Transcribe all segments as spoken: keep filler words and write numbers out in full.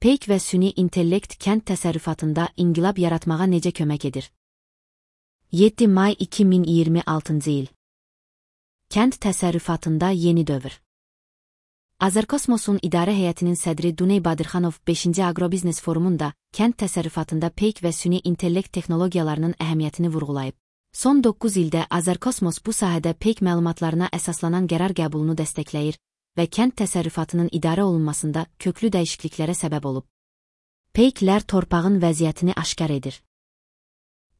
Peyk və süni intellekt kənd təsərrüfatında inqilab yaratmağa necə kömək edir? yeddi may iki min iyirmi altıncı il. Kənd təsərrüfatında yeni dövr. Azərkosmosun idarə heyətinin sədri Duney Badirxanov beşinci Agrobiznes forumunda kənd təsərrüfatında peyk və süni intellekt texnologiyalarının əhəmiyyətini vurğulayıb. Son doqquz ildə Azərkosmos bu sahədə peyk məlumatlarına əsaslanan qərar qəbulunu dəstəkləyir və kənd təsərrüfatının idarə olunmasında köklü dəyişikliklərə səbəb olub. Peyklər torpağın vəziyyətini aşkar edir.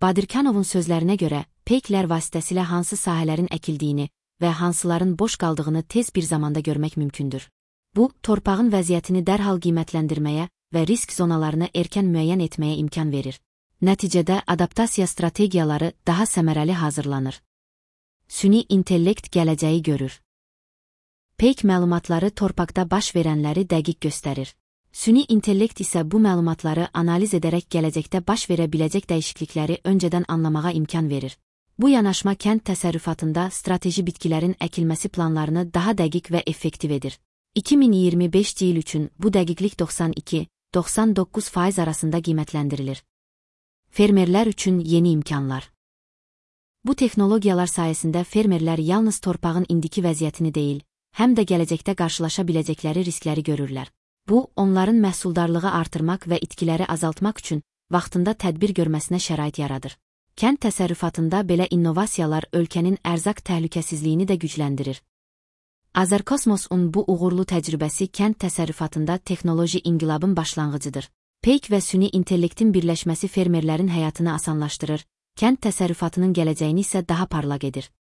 Badirxanovun sözlərinə görə, peyklər vasitəsilə hansı sahələrin əkildiyini və hansıların boş qaldığını tez bir zamanda görmək mümkündür. Bu, torpağın vəziyyətini dərhal qiymətləndirməyə və risk zonalarını erkən müəyyən etməyə imkan verir. Nəticədə adaptasiya strategiyaları daha səmərəli hazırlanır. Süni intellekt gələcəyi görür. Peyk məlumatları torpaqda baş verənləri dəqiq göstərir. Süni intellekt isə bu məlumatları analiz edərək gələcəkdə baş verə biləcək dəyişiklikləri öncədən anlamağa imkan verir. Bu yanaşma kənd təsərrüfatında strateji bitkilərin əkilməsi planlarını daha dəqiq və effektiv edir. iki min iyirmi beşinci il üçün bu dəqiqlik doxsan iki doxsan doqquz faiz arasında qiymətləndirilir. Fermerlər üçün yeni imkanlar. Bu texnologiyalar sayəsində fermerlər yalnız torpağın indiki vəziyyətini deyil, həm də gələcəkdə qarşılaşa biləcəkləri riskləri görürlər. Bu, onların məhsuldarlığı artırmaq və itkiləri azaltmaq üçün vaxtında tədbir görməsinə şərait yaradır. Kənd təsərrüfatında belə innovasiyalar ölkənin ərzaq təhlükəsizliyini də gücləndirir. Azərkosmosun bu uğurlu təcrübəsi kənd təsərrüfatında texnoloji inqilabın başlanğıcıdır. Peyk və süni intellektin birləşməsi fermerlərin həyatını asanlaşdırır, kənd təsərrüfatının gələcəyini isə daha parlaq edir.